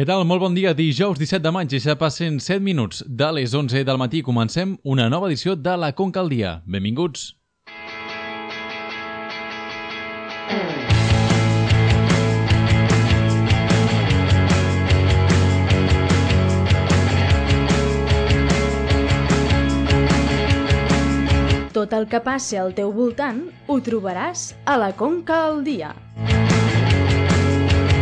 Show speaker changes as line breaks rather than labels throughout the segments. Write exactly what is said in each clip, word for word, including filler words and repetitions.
Què tal? Molt bon dia. Dijous disset de maig i ja passen set minuts de les onze del matí. Comencem una nova edició de La Conca al Dia. Benvinguts.
Tot el que passi al teu voltant ho trobaràs a La Conca al Dia.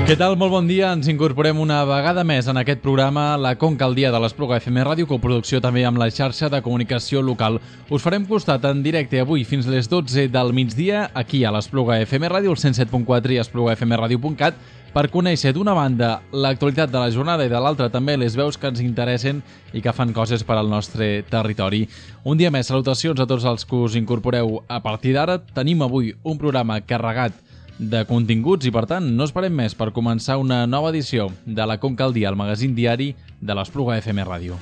Què tal? Molt bon dia. Ens incorporem una vegada més en aquest programa La Conca al Dia de l'Espluga F M Ràdio, coproducció també amb la xarxa de comunicació local. Us farem costat en directe avui fins les dotze del migdia aquí a l'Espluga F M Ràdio, el cent set punt quatre i espluga f m radio punt cat, per conèixer d'una banda l'actualitat de la jornada i de l'altra també les veus que ens interessen i que fan coses per al nostre territori. Un dia més, salutacions a tots els que us incorporeu a partir d'ara. Tenim avui un programa carregat de continguts i, per tant, no esperem més per començar una nova edició de La Conca al Dia, el magazín diari de l'Espluga F M Ràdio.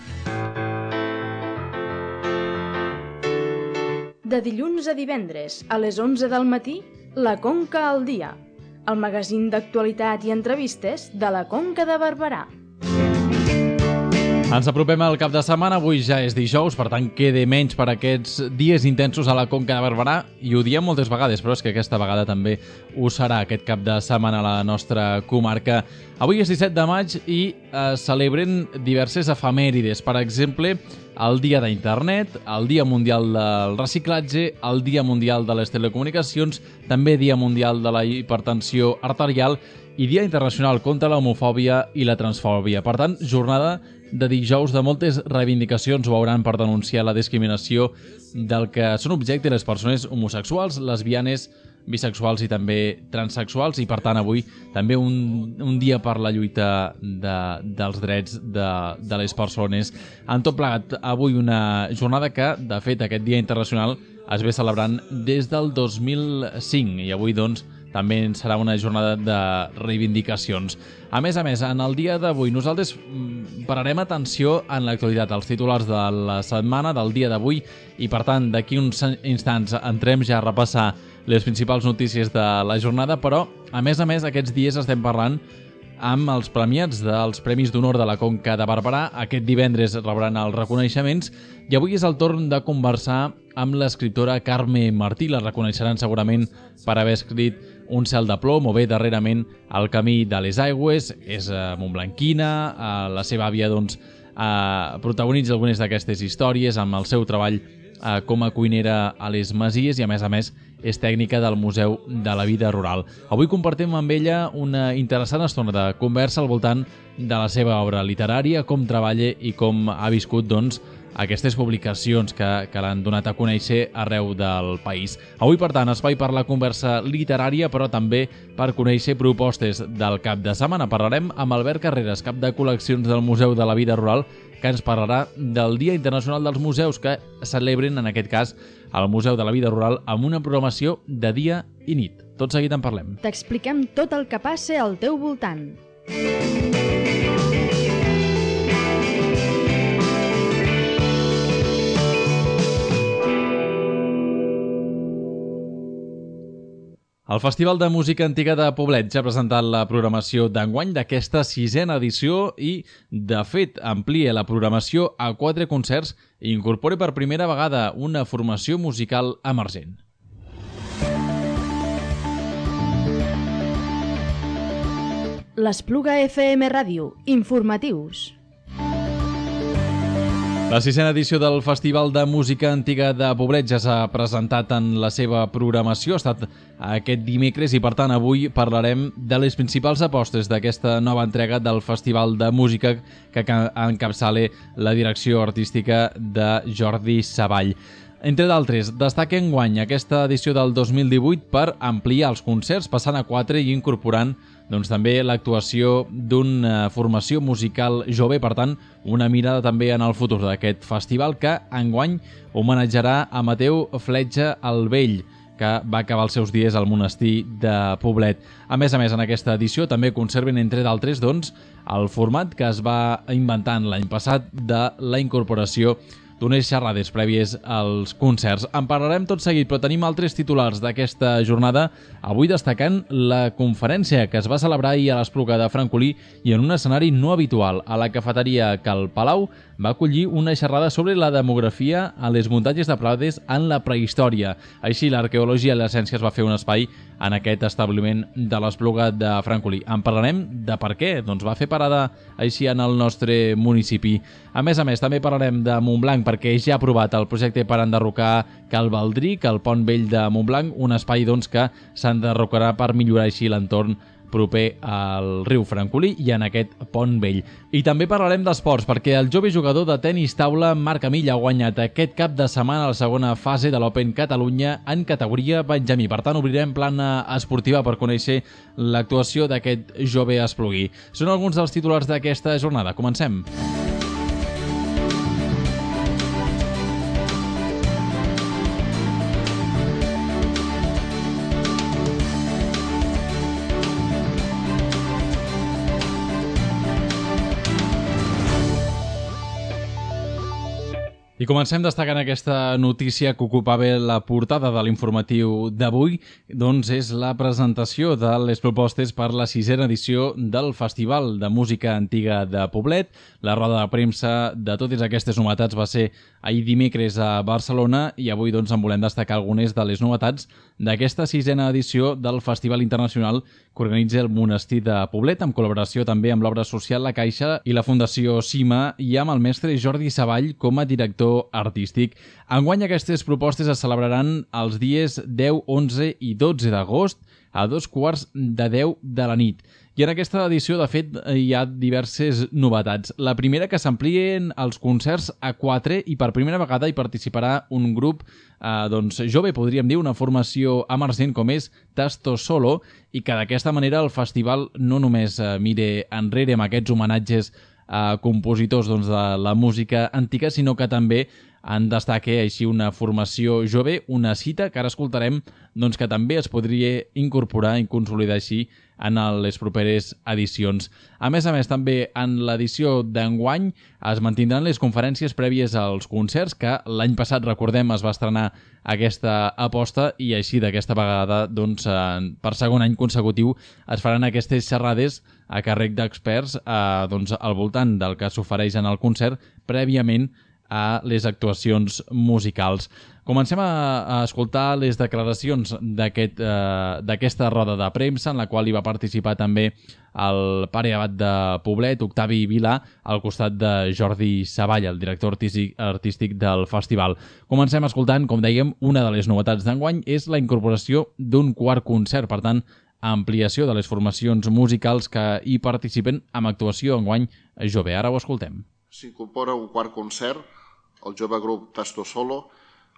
De dilluns a divendres, a les onze del matí, La Conca al Dia, el magazín d'actualitat i entrevistes de la Conca de Barberà.
Ens apropem al cap de setmana, avui ja és dijous, per tant queda menys per aquests dies intensos a la Conca de Barberà, i ho diem moltes vegades, però és que aquesta vegada també ho serà aquest cap de setmana a la nostra comarca. Avui és disset de maig i es celebren diverses efemèrides, per exemple, el Dia d'Internet, el Dia Mundial del Reciclatge, el Dia Mundial de les Telecomunicacions, també Dia Mundial de la Hipertensió Arterial i Dia Internacional contra l'Homofòbia i la Transfòbia. Per tant, jornada de dijous de moltes reivindicacions, ho hauran, per denunciar la discriminació del que són objecte les persones homosexuals, lesbianes, bisexuals i també transsexuals, i per tant avui també un, un dia per la lluita de, dels drets de, de les persones. En tot plegat, avui una jornada que, de fet, aquest Dia Internacional es ve celebrant des del dos mil cinc i avui, doncs, també serà una jornada de reivindicacions. A més a més, en el dia d'avui nosaltres pararem atenció en l'actualitat, als titulars de la setmana, del dia d'avui, i per tant d'aquí uns instants entrem ja a repassar les principals notícies de la jornada, però a més a més aquests dies estem parlant amb els premiats dels Premis d'Honor de la Conca de Barberà. Aquest divendres rebran els reconeixements i avui és el torn de conversar amb l'escriptora Carme Martí. La reconeixeran segurament per haver escrit Un cel de plom o bé darrerament El camí de les aigües. És eh, montblanquina, eh, la seva àvia doncs, eh, protagonitza algunes d'aquestes històries amb el seu treball eh, com a cuinera a les Masies i a més a més és tècnica del Museu de la Vida Rural. Avui compartim amb ella una interessant estona de conversa al voltant de la seva obra literària, com treballa i com ha viscut, doncs, aquestes publicacions que, que l'han donat a conèixer arreu del país. Avui, per tant, espai per la conversa literària, però també per conèixer propostes del cap de setmana. Parlarem amb Albert Carreras, cap de col·leccions del Museu de la Vida Rural, que ens parlarà del Dia Internacional dels Museus, que celebren, en aquest cas, al Museu de la Vida Rural, amb una programació de dia i nit. Tot seguit en parlem.
T'expliquem tot el que passa al teu voltant.
El Festival de Música Antiga de Poblet ja ha presentat la programació d'enguany d'aquesta sisena edició i, de fet, amplia la programació a quatre concerts i incorpora per primera vegada una formació musical emergent.
L'Espluga F M Ràdio. Informatius.
La sisena edició del Festival de Música Antiga de Poblet ja s'ha presentat en la seva programació. Ha estat aquest dimecres i, per tant, avui parlarem de les principals apostes d'aquesta nova entrega del Festival de Música que encapçala la direcció artística de Jordi Savall. Entre d'altres, destaca enguany aquesta edició del dos mil divuit per ampliar els concerts, passant a quatre i incorporant doncs, també l'actuació d'una formació musical jove, per tant, una mirada també en el futur d'aquest festival que enguany homenatjarà a Mateu Fletxa el Vell, que va acabar els seus dies al monestir de Poblet. A més a més, en aquesta edició també conserven, entre d'altres, doncs, el format que es va inventant l'any passat de la incorporació d'unes xerrades prèvies als concerts. En parlarem tot seguit, però tenim altres titulars d'aquesta jornada, avui destacant la conferència que es va celebrar ahir a l'Espluga de Francolí i en un escenari no habitual. A la cafeteria Cal Palau va acollir una xerrada sobre la demografia a les muntanyes de Prades en la prehistòria. Així, l'arqueologia i la ciència es va fer un espai en aquest establiment de l'Espluga de Francolí. En parlarem de per què, doncs va fer parada així en el nostre municipi. A més a més, també parlarem de Montblanc perquè ja ha aprovat el projecte per enderrocar Cal Baldric, el pont vell de Montblanc, un espai doncs, que s'enderrocarà per millorar així l'entorn proper al riu Francolí i en aquest pont vell. I també parlarem d'esports, perquè el jove jugador de tenis taula Marc Amill ha guanyat aquest cap de setmana la segona fase de l'Open Catalunya en categoria Benjamí. Per tant, obrirem plana esportiva per conèixer l'actuació d'aquest jove espluguí. Són alguns dels titulars d'aquesta jornada. Comencem. I comencem destacant aquesta notícia que ocupava la portada de l'informatiu d'avui, doncs és la presentació de les propostes per la sisena edició del Festival de Música Antiga de Poblet. La roda de premsa de totes aquestes novetats va ser ahir dimecres a Barcelona i avui doncs en volem destacar algunes de les novetats d'aquesta sisena edició del Festival Internacional que organitza el Monestir de Poblet, en col·laboració també amb l'obra social La Caixa i la Fundació Cima i amb el mestre Jordi Savall com a director artístic. Enguany aquestes propostes es celebraran els dies deu, onze i dotze d'agost a dos quarts de deu de la nit. I en aquesta edició, de fet, hi ha diverses novetats. La primera, que s'amplien els concerts a quatre i per primera vegada hi participarà un grup eh, doncs, jove, podríem dir, una formació emergent com és Tasto Solo, i que d'aquesta manera el festival no només eh, mire enrere amb aquests homenatges a compositors doncs, de la música antiga, sinó que també en destaca així una formació jove, una cita que ara escoltarem doncs, que també es podria incorporar i consolidar així en les properes edicions. A més a més, també en l'edició d'enguany es mantindran les conferències prèvies als concerts, que l'any passat, recordem, es va estrenar aquesta aposta i així d'aquesta vegada, doncs, per segon any consecutiu, es faran aquestes xerrades a càrrec d'experts eh, doncs, al voltant del que s'ofereix en el concert prèviament a les actuacions musicals. Comencem a, a escoltar les declaracions d'aquest, eh, d'aquesta roda de premsa en la qual hi va participar també el pare abat de Poblet, Octavi Vilà, al costat de Jordi Savall, el director artístic, artístic del festival. Comencem escoltant, com dèiem, una de les novetats d'enguany és la incorporació d'un quart concert, per tant, ampliació de les formacions musicals que hi participen amb actuació enguany jove. Ara ho escoltem.
S'incorpora un quart concert, el jove grup Tasto Solo,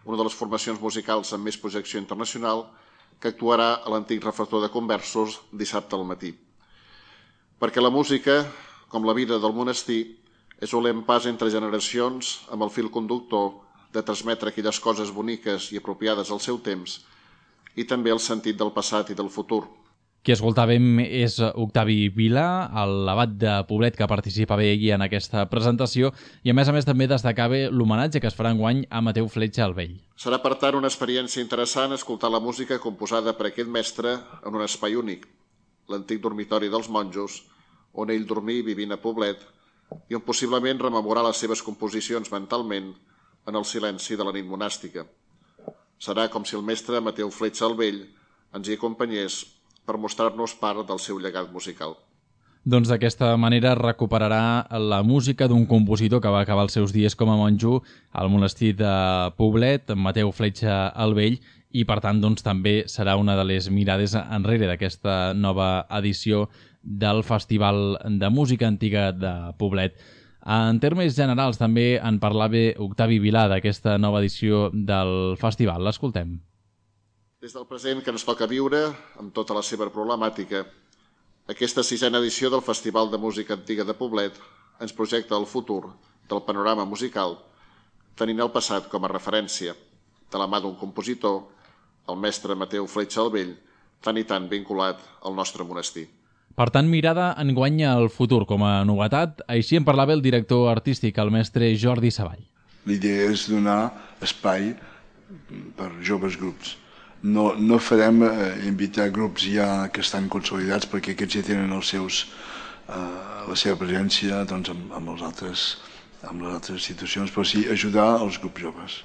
una de les formacions musicals amb més projecció internacional, que actuarà a l'antic reflector de Conversos dissabte al matí. Perquè la música, com la vida del monestir, és un lent pas entre generacions amb el fil conductor de transmetre aquelles coses boniques i apropiades al seu temps i també el sentit del passat i del futur.
Qui escoltàvem és Octavi Vilà, l'abat de Poblet que participava aquí en aquesta presentació i a més a més també destacava l'homenatge que es farà enguany a Mateu Fletxa el Vell.
Serà per tant una experiència interessant escoltar la música composada per aquest mestre en un espai únic, l'antic dormitori dels monjos, on ell dormia vivint a Poblet i on possiblement rememorar les seves composicions mentalment en el silenci de la nit monàstica. Serà com si el mestre Mateu Fletxa el Vell ens hi acompanyés per mostrar-nos part del seu llegat musical.
Doncs d'aquesta manera recuperarà la música d'un compositor que va acabar els seus dies com a monjo al monestir de Poblet, Mateu Fletxa el Vell, i per tant doncs, també serà una de les mirades enrere d'aquesta nova edició del Festival de Música Antiga de Poblet. En termes generals també en parlava Octavi Vilà d'aquesta nova edició del festival. L'escoltem.
Des del present que ens toca viure, amb tota la seva problemàtica, aquesta sisena edició del Festival de Música Antiga de Poblet ens projecta el futur del panorama musical, tenint el passat com a referència, de la mà d'un compositor, el mestre Mateu Fletxa el Vell, tan i tan vinculat al nostre monestir.
Per tant, mirada enguany al futur com a novetat, així en parlava el director artístic, el mestre Jordi Savall.
l'idea és donar espai per joves grups. No, no farem eh, invitar grups ja que estan consolidats, perquè aquests ja tenen els seus, eh, la seva presència doncs, amb, amb, els altres, amb les altres institucions, però sí ajudar els grups joves.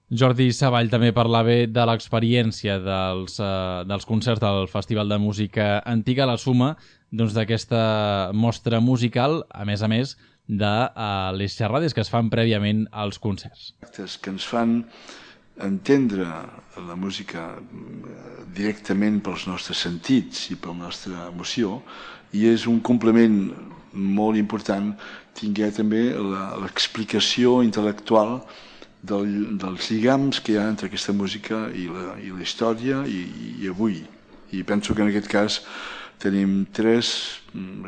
Jordi Savall també parlava de l'experiència dels, eh, dels concerts del Festival de Música Antiga, la suma doncs, d'aquesta mostra musical, a més a més de eh, les xerrades que es fan prèviament als concerts.
Que ens fan entendre la música directament pels nostres sentits i per la nostra emoció, i és un complement molt important tinguer també l'explicació intel·lectual del, dels lligams que hi ha entre aquesta música i la, i la història i, i avui. I penso que en aquest cas tenim tres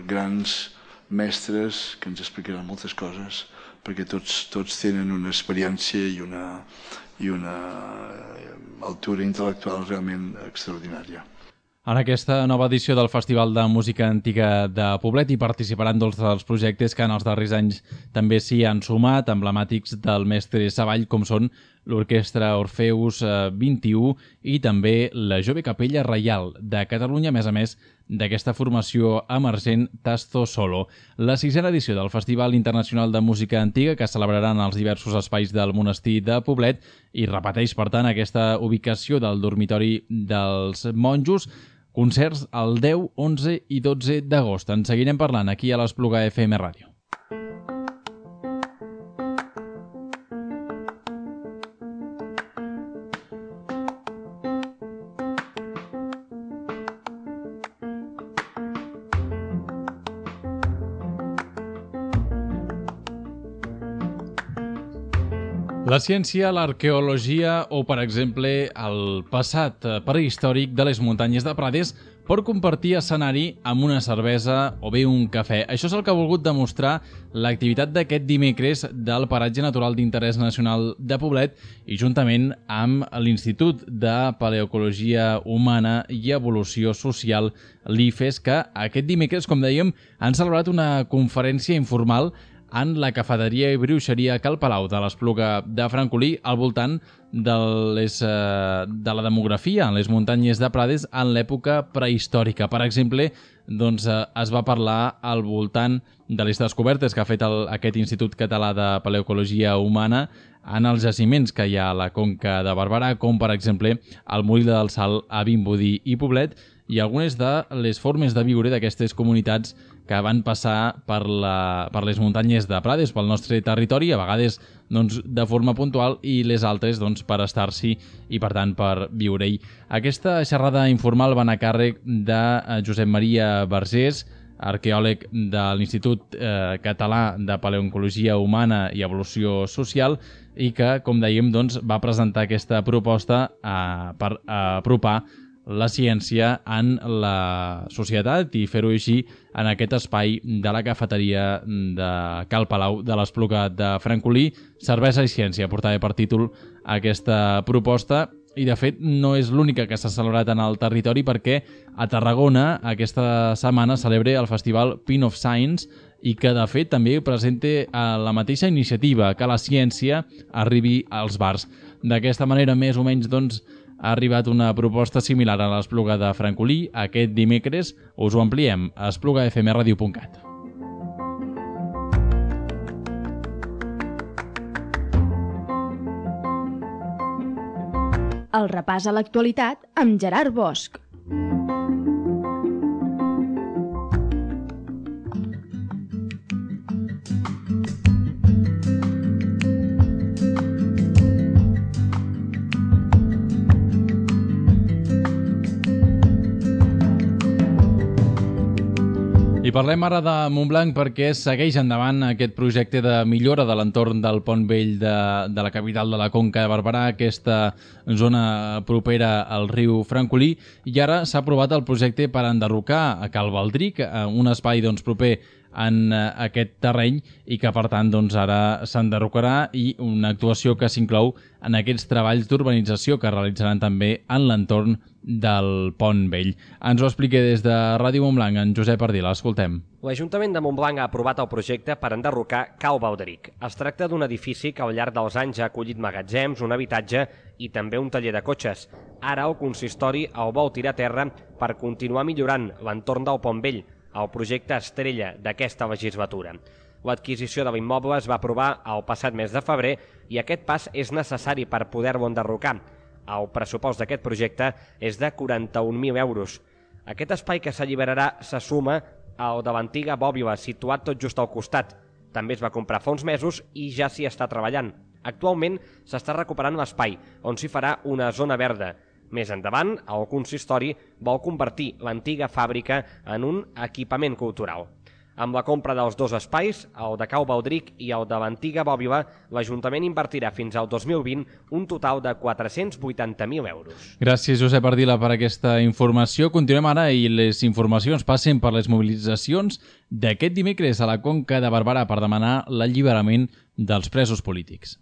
grans mestres que ens explicaran moltes coses, perquè tots, tots tenen una experiència i una, i una altura intel·lectual realment extraordinària.
En aquesta nova edició del Festival de Música Antiga de Poblet hi participaran dos dels projectes que en els darrers anys també s'hi han sumat, emblemàtics del mestre Savall, com són l'Orquestra Orfeus vint-i-u i també la Jove Capella Reial de Catalunya, a més a més d'aquesta formació emergent Tasto Solo. La sisena edició del Festival Internacional de Música Antiga, que es celebrarà en els diversos espais del monestir de Poblet, i repeteix, per tant, aquesta ubicació del dormitori dels monjos. Concerts el deu, onze i dotze d'agost. En seguirem parlant aquí a l'Espluga F M Ràdio. La ciència, l'arqueologia o, per exemple, el passat prehistòric de les muntanyes de Prades pot compartir escenari amb una cervesa o bé un cafè. Això és el que ha volgut demostrar l'activitat d'aquest dimecres del Paratge Natural d'Interès Nacional de Poblet i juntament amb l'Institut de Paleoecologia Humana i Evolució Social, l'I F E S, que aquest dimecres, com dèiem, han celebrat una conferència informal en la cafeteria i bruixeria Cal Palau de l'Espluga de Francolí al voltant de, les, de la demografia en les muntanyes de Prades en l'època prehistòrica. Per exemple, doncs, es va parlar al voltant de les descobertes que ha fet el, aquest Institut Català de Paleoecologia Humana en els jaciments que hi ha a la Conca de Barberà, com per exemple el Molí del Sal a Vimbodí i Poblet, i algunes de les formes de viure d'aquestes comunitats que van passar per, la, per les muntanyes de Prades, pel nostre territori, a vegades doncs, de forma puntual i les altres doncs, per estar-s'hi i, per tant, per viure-hi. Aquesta xerrada informal va anar a càrrec de Josep Maria Vergés, arqueòleg de l'Institut eh, Català de Paleoecologia Humana i Evolució Social, i que, com dèiem, doncs, va presentar aquesta proposta eh, per eh, apropar la ciència en la societat i fer-ho així en aquest espai de la cafeteria de Cal Palau de l'Espluga de Francolí. Cervesa i ciència portava per títol aquesta proposta i, de fet, no és l'única que s'ha celebrat en el territori, perquè a Tarragona aquesta setmana celebra el festival Pin of Science i que, de fet, també presenta la mateixa iniciativa, que la ciència arribi als bars. D'aquesta manera, més o menys, doncs, ha arribat una proposta similar a l'Espluga de Francolí aquest dimecres. Us ho ampliem a espluga f m radio punt cat.
El repàs a l'actualitat amb Gerard Bosch.
I parlem ara de Montblanc perquè segueix endavant aquest projecte de millora de l'entorn del Pont Vell de, de la capital de la Conca de Barberà, aquesta zona propera al riu Francolí, i ara s'ha aprovat el projecte per enderrocar a Cal Baldric, un espai doncs, proper en aquest terreny i que, per tant, doncs, ara s'enderrocarà, i una actuació que s'inclou en aquests treballs d'urbanització que realitzaran també en l'entorn del Pont Vell. Ens ho explica des de Ràdio Montblanc en Josep Ardila. Escoltem.
L'Ajuntament de Montblanc ha aprovat el projecte per enderrocar Cal Baldric. Es tracta d'un edifici que al llarg dels anys ha acollit magatzems, un habitatge i també un taller de cotxes. Ara el consistori el vol tirar a terra per continuar millorant l'entorn del Pont Vell, el projecte estrella d'aquesta legislatura. L'adquisició de l'immoble es va aprovar el passat mes de febrer i aquest pas és necessari per poder-lo enderrocar. El pressupost d'aquest projecte és de quaranta-un mil euros. Aquest espai que s'alliberarà se suma al de l'antiga bòbila, situat tot just al costat. També es va comprar fa uns mesos i ja s'hi està treballant. Actualment s'està recuperant l'espai, on s'hi farà una zona verda. Més endavant, el consistori vol convertir l'antiga fàbrica en un equipament cultural. Amb la compra dels dos espais, el de Cal Baldric i el de l'antiga bòbila, l'Ajuntament invertirà fins al dos mil vint un total de quatre-cents vuitanta mil euros.
Gràcies, Josep Ardila, per aquesta informació. Continuem ara i les informacions passen per les mobilitzacions d'aquest dimecres a la Conca de Barberà per demanar l'alliberament dels presos polítics.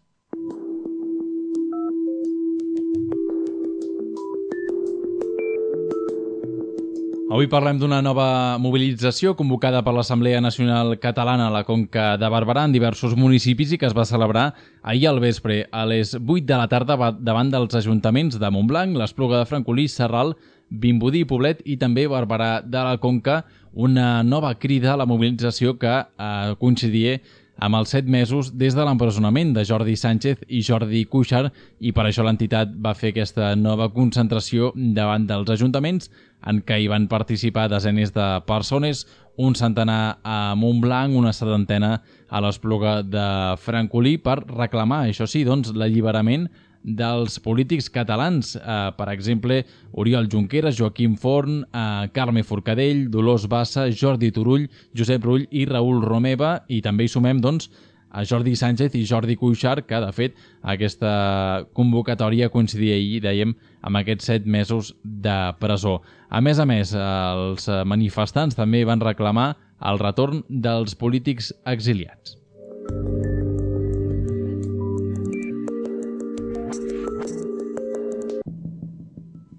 Avui parlem d'una nova mobilització convocada per l'Assemblea Nacional Catalana a la Conca de Barberà en diversos municipis i que es va celebrar ahir al vespre a les vuit de la tarda davant dels ajuntaments de Montblanc, l'Espluga de Francolí, Sarral, Vimbodí, Poblet i també Barberà de la Conca, una nova crida a la mobilització que eh, coincidia amb els set mesos des de l'empresonament de Jordi Sánchez i Jordi Cuixart, i per això l'entitat va fer aquesta nova concentració davant dels ajuntaments en què hi van participar desenes de persones, un centenar a Montblanc, una setantena a l'Espluga de Francolí, per reclamar, això sí, doncs, l'alliberament dels polítics catalans, eh, per exemple, Oriol Junqueras, Joaquim Forn, eh, Carme Forcadell, Dolors Bassa, Jordi Turull, Josep Rull i Raül Romeva, i també hi sumem, doncs, a Jordi Sánchez i Jordi Cuixart, que, de fet, aquesta convocatòria coincidia ahir, dèiem, amb aquests set mesos de presó. A més a més, els manifestants també van reclamar el retorn dels polítics exiliats.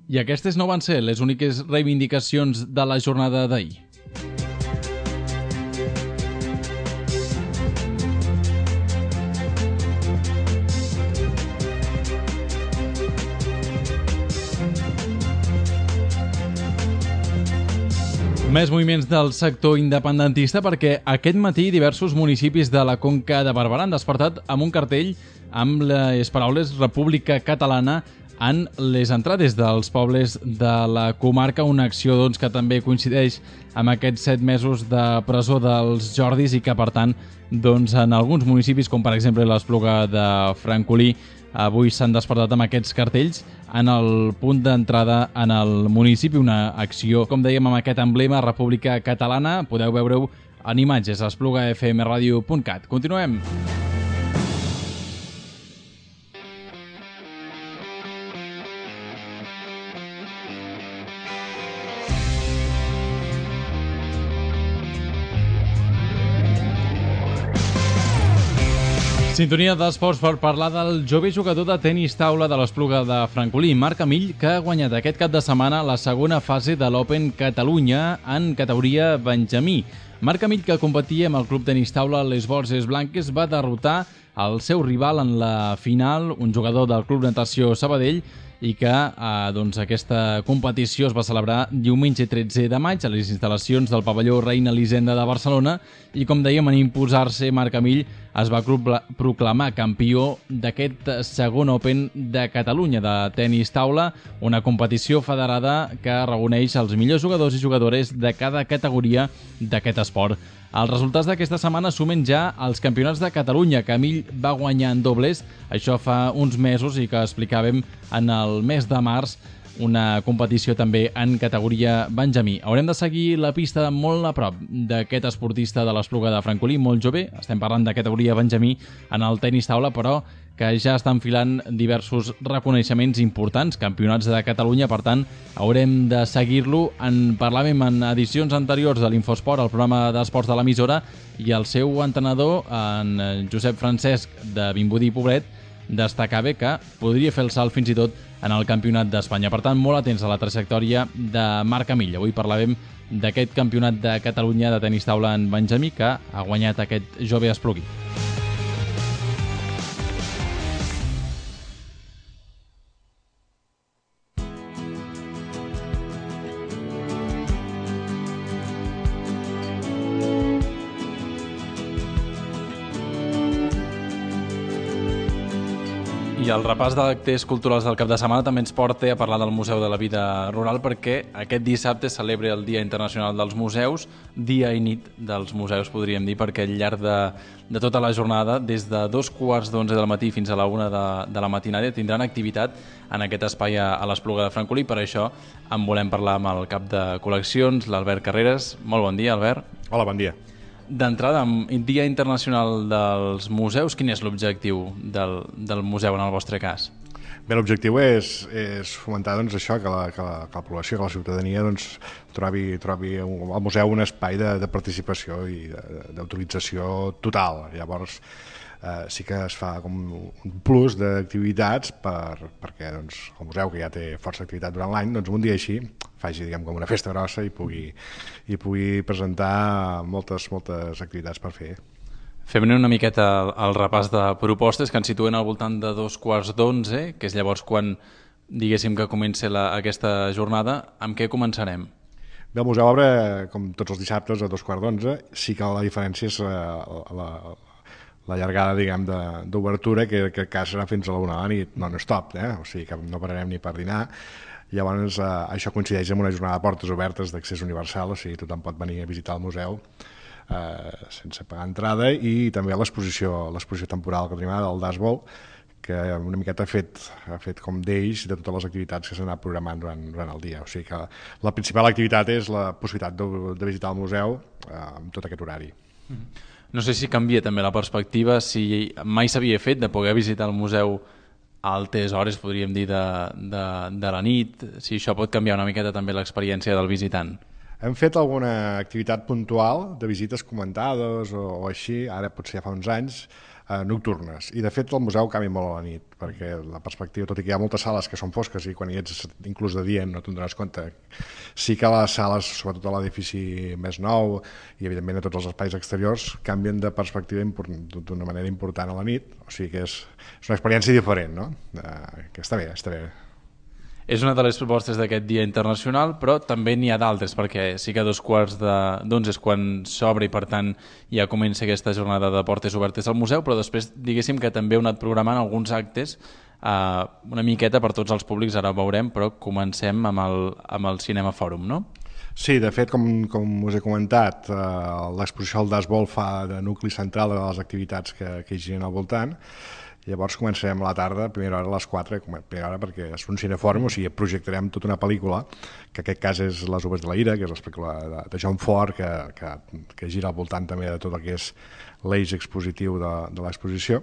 I aquestes no van ser les úniques reivindicacions de la jornada d'ahir. Més moviments del sector independentista, perquè aquest matí diversos municipis de la Conca de Barberà han despertat amb un cartell amb les paraules República Catalana en les entrades dels pobles de la comarca, una acció doncs, que també coincideix amb aquests set mesos de presó dels Jordis i que, per tant, doncs, en alguns municipis, com per exemple l'Espluga de Francolí, avui s'han despertat amb aquests cartells en el punt d'entrada en el municipi, una acció, com dèiem, amb aquest emblema República Catalana. Podeu veure-ho en imatges a espluga f m radio punt cat. Continuem. Sintonia d'esports per parlar del jove jugador de tenis taula de l'Espluga de Francolí, Marc Amill, que ha guanyat aquest cap de setmana la segona fase de l'Open Catalunya en categoria Benjamí. Marc Amill, que competia amb el club tenis taula Les Borges Blanques, va derrotar el seu rival en la final, un jugador del Club Natació Sabadell, i que eh, doncs, aquesta competició es va celebrar diumenge tretze de maig a les instal·lacions del pavelló Reina Elisenda de Barcelona, i com dèiem, en imposar-se, Marc Amill es va proclamar campió d'aquest segon Open de Catalunya de tenis taula, una competició federada que reuneix els millors jugadors i jugadores de cada categoria d'aquest esport. Els resultats d'aquesta setmana sumen ja els campionats de Catalunya, que Amill va guanyar en dobles, això fa uns mesos, i que explicàvem en el mes de març una competició també en categoria Benjamí. Haurem de seguir la pista molt a prop d'aquest esportista de l'Espluga de Francolí, molt jove. Estem parlant de categoria Benjamí en el tenis taula, però que ja està enfilant diversos reconeixements importants, campionats de Catalunya, per tant, haurem de seguir-lo. En parlàvem en edicions anteriors de l'Infosport, el programa d'esports de l'emissora, i el seu entrenador, en Josep Francesc, de Vimbodí i Poblet, destacava que podria fer el salt fins i tot en el Campionat d'Espanya. Per tant, molt atents a la trajectòria de Marc Camilla. Avui parlàvem d'aquest Campionat de Catalunya de tenis taula en Benjamí que ha guanyat aquest jove esplugui. I el repàs d'actes culturals del cap de setmana també ens porta a parlar del Museu de la Vida Rural, perquè aquest dissabte celebra el Dia Internacional dels Museus, dia i nit dels museus, podríem dir, perquè al llarg de, de tota la jornada, des de dos quarts d'onze del matí fins a la una de, de la matinada, tindran activitat en aquest espai a, a l'Espluga de Francolí. Per això en volem parlar amb el cap de col·leccions, l'Albert Carreras. Molt bon dia, Albert.
Hola, bon dia.
D'entrada, amb Dia Internacional dels Museus, quin és l'objectiu del, del museu en el vostre cas?
Bé, l'objectiu és, és fomentar doncs, això, que la, que, la, que la població, que la ciutadania doncs, trobi, trobi al museu un espai de, de participació i d'autorització total. Llavors, eh, sí que es fa com un plus d'activitats per, perquè doncs, el museu, que ja té força activitat durant l'any, doncs un dia així faci, diguem, com una festa grossa i pugui, i pugui presentar moltes, moltes activitats per fer.
Fem-ne una miqueta el, el repàs de propostes que ens situen al voltant de dos quarts d'onze, que és llavors quan, diguéssim, que comença la, aquesta jornada. Amb què començarem?
Bé, el museu obre, com tots els dissabtes, a dos quarts d'onze. Sí que la diferència és la, la, la llargada, diguem, d'obertura, que en aquest cas serà fins a la una de la nit, non-stop, eh? O sigui que no pararem ni per dinar. Llavors, eh, això coincideix amb una jornada de portes obertes d'accés universal, o sigui, tothom pot venir a visitar el museu eh, sense pagar entrada, i també l'exposició l'exposició temporal que tenim ara, del Dashball, que una miqueta ha fet, ha fet com d'eix de totes les activitats que s'han anat programant durant, durant el dia. O sigui que la principal activitat és la possibilitat de, de visitar el museu eh, amb tot aquest horari.
No sé si canvia també la perspectiva, si mai s'havia fet de poder visitar el museu a altes hores, podríem dir, de, de, de la nit, si això pot canviar una miqueta també l'experiència del visitant.
Hem fet alguna activitat puntual de visites comentades o, o així, ara potser ja fa uns anys, eh, nocturnes. I de fet el museu canvia molt a la nit, perquè la perspectiva, tot i que hi ha moltes sales que són fosques i quan hi ets inclús de dia no te'n dones compte, sí que les sales, sobretot a l'edifici més nou i evidentment a tots els espais exteriors, canvien de perspectiva d'una manera important a la nit, o sigui que és, és una experiència diferent, no? Eh, que està bé, està bé.
És una de les propostes d'aquest Dia Internacional, però també n'hi ha d'altres, perquè sí que a dos quarts d'onze és quan s'obre i per tant ja comença aquesta jornada de portes obertes al museu, però després diguéssim que també heu anat programant alguns actes eh, una miqueta per tots els públics, ara ho veurem, però comencem amb el, amb el Cinema Fòrum, no?
Sí, de fet, com, com us he comentat, eh, l'exposició al Dashball fa de nucli central de les activitats que, que hi giren al voltant. Llavors començarem a la tarda, a primera hora a les quatre, primera hora perquè és un cinefòrum, o sigui, projectarem tota una pel·lícula, que en aquest cas és Les Uves de la Ira, que és la pel·lícula de, de John Ford, que, que, que gira al voltant també de tot el que és l'eix expositiu de, de l'exposició.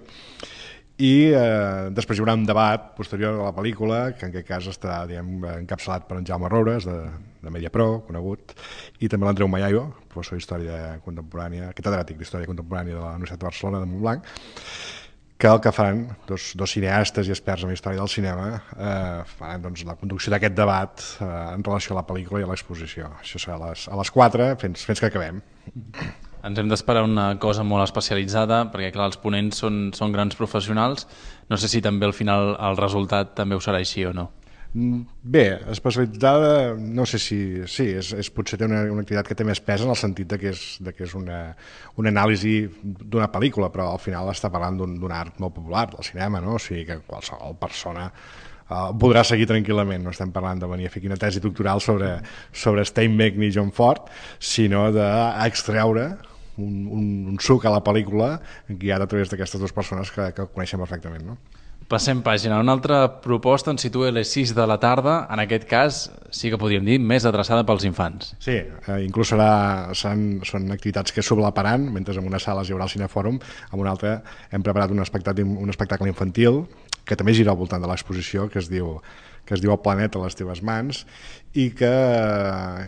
I eh, després hi haurà un debat posterior a la pel·lícula, que en aquest cas està, diguem, encapçalat per en Jaume Roures, de, de Mediapro, conegut, i també l'Andreu Mayayo, professor d'Història Contemporània, catedràtic d'Història Contemporània de la Universitat de Barcelona, de Montblanc, que el que faran dos, dos cineastes i experts en història del cinema eh, faran doncs, la conducció d'aquest debat eh, en relació a la pel·lícula i a l'exposició. Això serà a les, a les quatre, fins, fins que acabem.
Ens hem d'esperar una cosa molt especialitzada, perquè clar, els ponents són, són grans professionals. No sé si també al final el resultat també ho serà així o no.
Bé, especialitzada, no sé si... Sí, és, és, potser té una, una activitat que té més pes en el sentit de que és, de que és una, una anàlisi d'una pel·lícula, però al final està parlant d'un art molt popular, del cinema, no? O sigui que qualsevol persona uh, podrà seguir tranquil·lament. No estem parlant de venir a fer una tesi doctoral sobre, sobre Steinbeck ni John Ford, sinó d'extreure un, un, un suc a la pel·lícula guiat a través d'aquestes dues persones que, que coneixem perfectament, no?
Passem pàgina. Una altra proposta ens situa a les sis de la tarda. En aquest cas, sí que podríem dir, més adreçada pels infants.
Sí, eh, inclús serà, seran, són activitats que s'oblaparan, mentre en una sala hi haurà el Cinefòrum, en una altra hem preparat un espectacle, un espectacle infantil que també gira al voltant de l'exposició, que es diu que es diu El planeta a les teves mans, i que,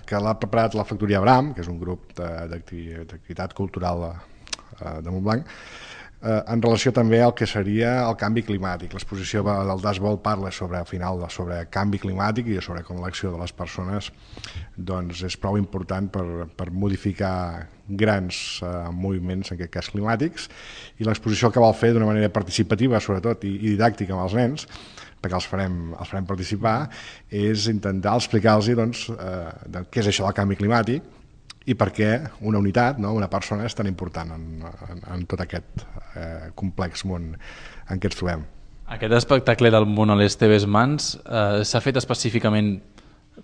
que l'ha preparat la Factoria Abram, que és un grup d'activitat cultural de, de Montblanc, eh, en relació també al que seria el canvi climàtic. L'exposició del Dashboard parla sobre, al final, sobre canvi climàtic i sobre com l'acció de les persones doncs, és prou important per, per modificar grans eh, moviments, en aquest cas climàtics, i l'exposició que vol fer d'una manera participativa, sobretot, i, i didàctica amb els nens, perquè els farem, els farem participar, és intentar explicar-los doncs, eh, de què és això del canvi climàtic i per què una unitat, no? Una persona és tan important en, en, en tot aquest eh, complex món en què ens trobem.
Aquest espectacle del món a les teves mans eh, s'ha fet específicament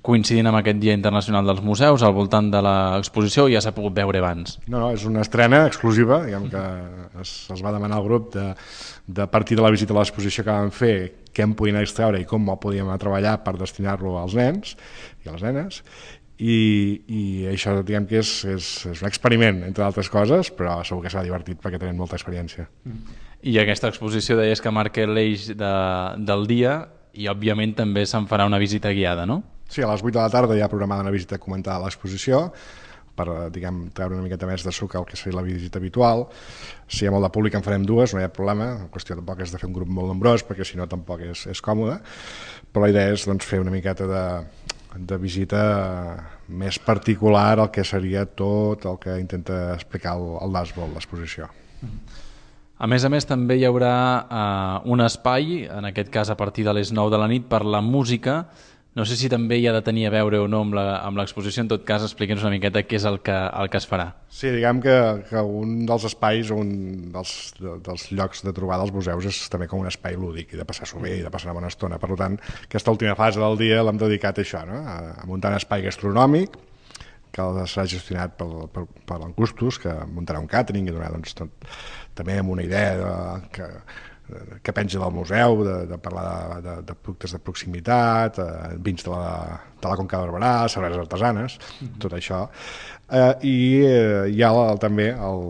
coincidint amb aquest Dia Internacional dels Museus, al voltant de l'exposició, o ja s'ha pogut veure abans?
No, no, és una estrena exclusiva, diguem que es, es va demanar al grup de, de partir de la visita a l'exposició que vam fer, què en podien extreure i com el podíem treballar per destinar-lo als nens i a les nenes, i, i això diguem que és, és, és un experiment, entre altres coses, però segur que serà divertit perquè tenen molta experiència.
I aquesta exposició deies que marca l'eix de, del dia i òbviament també se'n farà una visita guiada, no?
Sí, a les vuit de la tarda hi ha programada una visita comentada a l'exposició per, diguem, treure una miqueta més de suc al que seria la visita habitual. Si hi ha molt de públic en farem dues, no hi ha problema, la qüestió tampoc és de fer un grup molt nombrós perquè si no tampoc és, és còmode, però la idea és doncs, fer una miqueta de, de visita més particular al que seria tot el que intenta explicar el, el Dashboard, l'exposició.
A més a més també hi haurà eh, un espai, en aquest cas a partir de les nou de la nit, per la música. No sé si també hi ha de tenir a veure o no amb l'exposició, en tot cas expliquem-nos una miqueta què és el que, el que es farà.
Sí, diguem que, que un dels espais, un dels, de, dels llocs de trobada als museus és també com un espai lúdic i de passar-s'ho bé i de passar una bona estona. Per tant, aquesta última fase del dia l'hem dedicat a això, no? a, a muntar un espai gastronòmic que serà gestionat per, per, per l'Encustos, que muntarà un càtering i donarà doncs, tot, també amb una idea de, que que penja del museu, de, de parlar de, de, de productes de proximitat, eh, vins de la, de la Conca de Barberà, cerveses artesanes, mm-hmm. tot això. Eh, I eh, hi ha el, també el,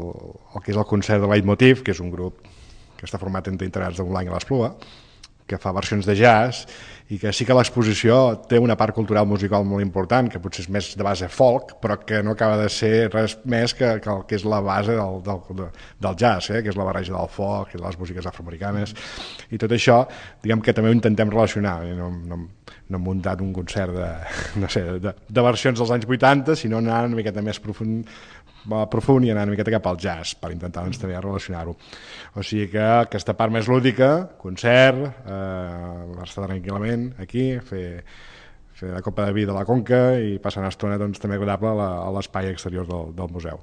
el que és el concert de Leitmotiv, que és un grup que està format entre integrants de Montblanc i l'Espluga, que fa versions de jazz i que sí que l'exposició té una part cultural musical molt important, que potser és més de base folk, però que no acaba de ser res més que, que el que és la base del, del, del jazz, eh? Que és la barreja del folk i de les músiques afroamericanes. I tot això, diguem que també ho intentem relacionar. No, no, no hem muntat un concert de, no sé, de, de versions dels anys vuitanta, sinó anar una miqueta més profund, profund i anar una miqueta cap al jazz per intentar doncs, també relacionar-ho. O sigui que aquesta part més lúdica, concert, eh, estar tranquil·lament aquí, fer, fer la copa de vi de la Conca i passar una estona doncs, també agradable a l'espai exterior del, del museu.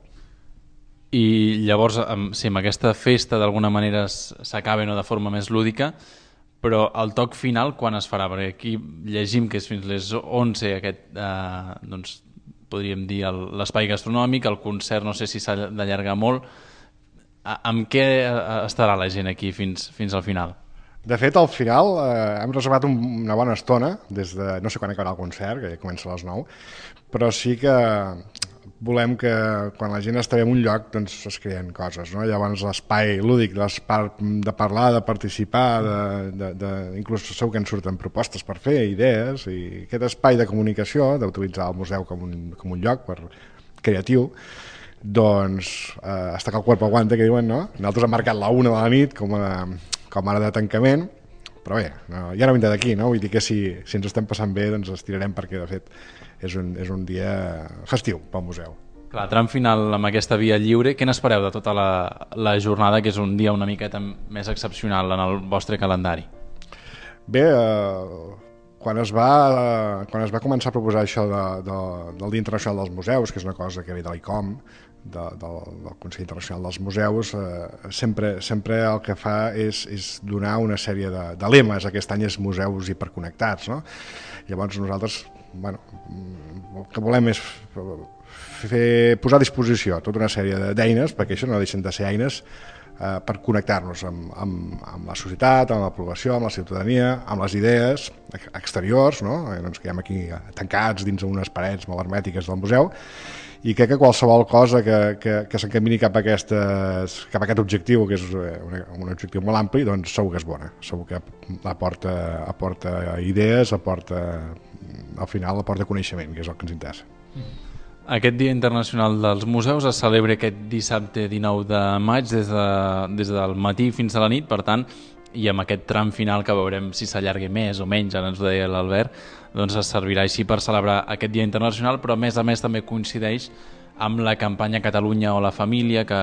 I llavors, si amb aquesta festa d'alguna manera s'acaba no de forma més lúdica, però el toc final quan es farà? Perquè aquí llegim que és fins les onze aquest, eh, doncs, podríem dir l'espai gastronòmic, el concert no sé si s'ha d'allargar molt. Amb què estarà la gent aquí fins, fins al final?
De fet, al final eh, hem reservat un, una bona estona, des de, no sé quan acabarà el concert, que ja comença a les nou, però sí que volem que quan la gent està en un lloc doncs es creen coses, no? Llavors l'espai lúdic, l'espai de parlar, de participar, de, de, de, inclús segur que ens surten propostes per fer, idees, i aquest espai de comunicació, d'utilitzar el museu com un, com un lloc per, creatiu, doncs eh, hasta que el cuerpo aguante, que diuen, no? Nosaltres hem marcat la una de la nit com a, com a hora de tancament, però bé, no, ja no vindrà d'aquí, no? Vull dir que si, si ens estem passant bé, doncs estirarem perquè, de fet, és un, és un dia festiu pel museu.
Clar, tram final amb aquesta via lliure, què n'espereu de tota la, la jornada, que és un dia una miqueta més excepcional en el vostre calendari?
Bé, eh, quan, es va, eh, quan es va començar a proposar això de, de, del Dia Internacional dels Museus, que és una cosa que ve de l'I C O M, de, de, del Consell Internacional dels Museus, eh, sempre, sempre el que fa és, és donar una sèrie de, de lemes. Aquest any és museus hiperconnectats, no? Llavors nosaltres, bueno, el que volem és fer, posar a disposició tota una sèrie d'eines, perquè això no deixen de ser eines eh, per connectar-nos amb, amb, amb la societat, amb la població, amb la ciutadania, amb les idees exteriors, no? Eh, doncs quedem aquí tancats dins d'unes parets molt hermètiques del museu, i crec que qualsevol cosa que, que, que s'encamini cap, a aquestes, cap a aquest objectiu, que és un, un objectiu molt ampli, doncs segur que és bona, segur que aporta, aporta idees, aporta, al final aporta coneixement, que és el que ens interessa.
Aquest Dia Internacional dels Museus es celebra aquest dissabte dinou de maig des, de, des del matí fins a la nit, per tant, i amb aquest tram final que veurem si s'allargui més o menys, ara ens ho deia l'Albert, doncs es servirà així per celebrar aquest Dia Internacional, però a més a més també coincideix amb la campanya Catalunya o la Família que,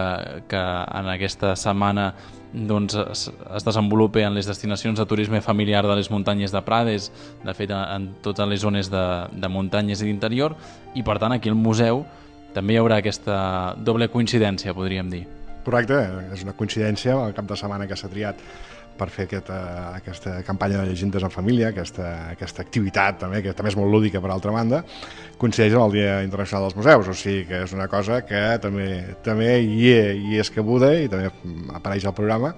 que en aquesta setmana doncs, es, es desenvolupa en les destinacions de turisme familiar de les muntanyes de Prades, de fet en totes les zones de, de muntanyes i d'interior, i per tant aquí al museu també hi haurà aquesta doble coincidència, podríem dir.
Correcte, és una coincidència el cap de setmana que s'ha triat per fer aquesta, aquesta campanya de llegendes en família, aquesta, aquesta activitat també, que també és molt lúdica per altra banda, coincideix amb el Dia Internacional dels Museus, o sigui que és una cosa que també, també hi, és, hi és cabuda i també apareix al programa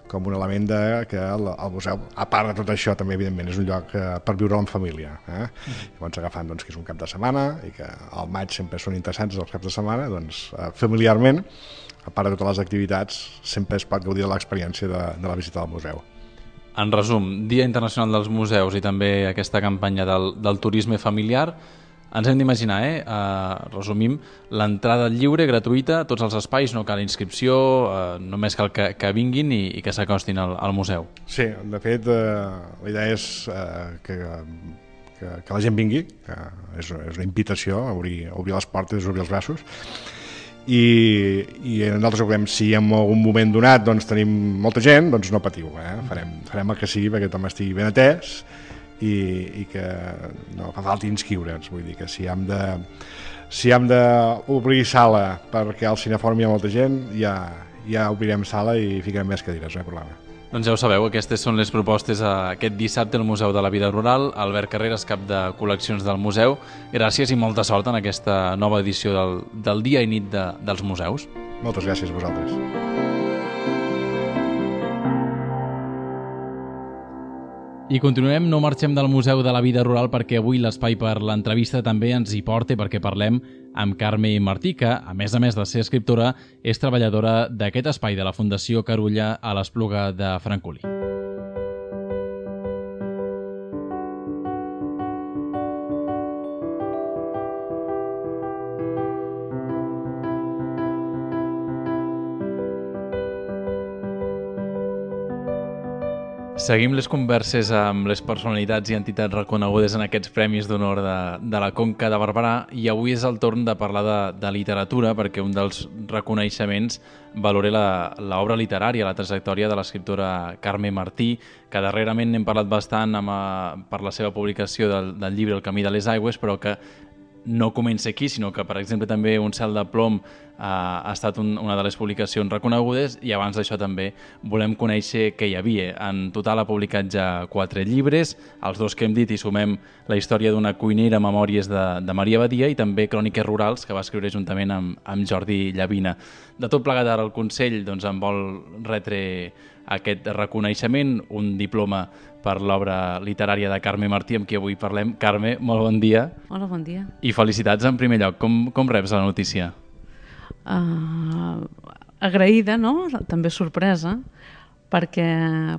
com un element de, que el, el museu, a part de tot això, també evidentment és un lloc eh, per viure en família. Eh? Mm. Llavors agafant doncs, que és un cap de setmana i que al maig sempre són interessants els caps de setmana, doncs eh, familiarment, a part de totes les activitats, sempre es pot gaudir de l'experiència de, de la visita al museu.
En resum, Dia Internacional dels Museus i també aquesta campanya del, del turisme familiar, ens hem d'imaginar, eh? Uh, resumim, l'entrada lliure, gratuïta, tots els espais, no cal inscripció, uh, només cal que, que vinguin i, i que s'acostin al, al museu.
Sí, de fet, uh, la idea és uh, que, que, que la gent vingui, que és, és una invitació a obrir, a obrir les portes, a obrir els braços, i, i nosaltres ho veiem, si en algun moment donat doncs, tenim molta gent, doncs no patiu, eh? farem, farem el que sigui perquè tothom estigui ben atès i, i que no fa falta inscriure'ns, vull dir que si hem de si hem d'obrir sala perquè al Cineforum hi ha molta gent, ja, ja obrirem sala i ficarem més cadires, no hi ha problema.
Doncs ja ho sabeu, aquestes són les propostes a aquest dissabte al Museu de la Vida Rural. Albert Carreras, cap de col·leccions del museu, gràcies i molta sort en aquesta nova edició del, del Dia i Nit de, dels Museus.
Moltes gràcies a vosaltres.
I continuem, no marxem del Museu de la Vida Rural perquè avui l'espai per l'entrevista també ens hi porta perquè parlem amb Carme Martí, que, a més a més de ser escriptora, és treballadora d'aquest espai de la Fundació Carulla a l'Espluga de Francolí. Seguim les converses amb les personalitats i entitats reconegudes en aquests Premis d'Honor de, de la Conca de Barberà i avui és el torn de parlar de, de literatura perquè un dels reconeixements valora l'obra literària, la trajectòria de l'escriptora Carme Martí, que darrerament n'hem parlat bastant amb, per la seva publicació del, del llibre El camí de les aigües, però que no comença aquí, sinó que, per exemple, també Un cel de plom eh, ha estat un, una de les publicacions reconegudes i abans d'això també volem conèixer què hi havia. En total ha publicat ja quatre llibres, els dos que hem dit i sumem La història d'una cuinera, memòries de, de Maria Badia i també Cròniques rurals, que va escriure juntament amb, amb Jordi Llavina. De tot plegat ara el Consell doncs, en vol retre aquest reconeixement, un diploma per l'obra literària de Carme Martí, amb qui avui parlem. Carme, molt bon dia.
Hola, bon dia.
I felicitats en primer lloc. Com, com reps la notícia?
Uh, agraïda, no? També sorpresa, perquè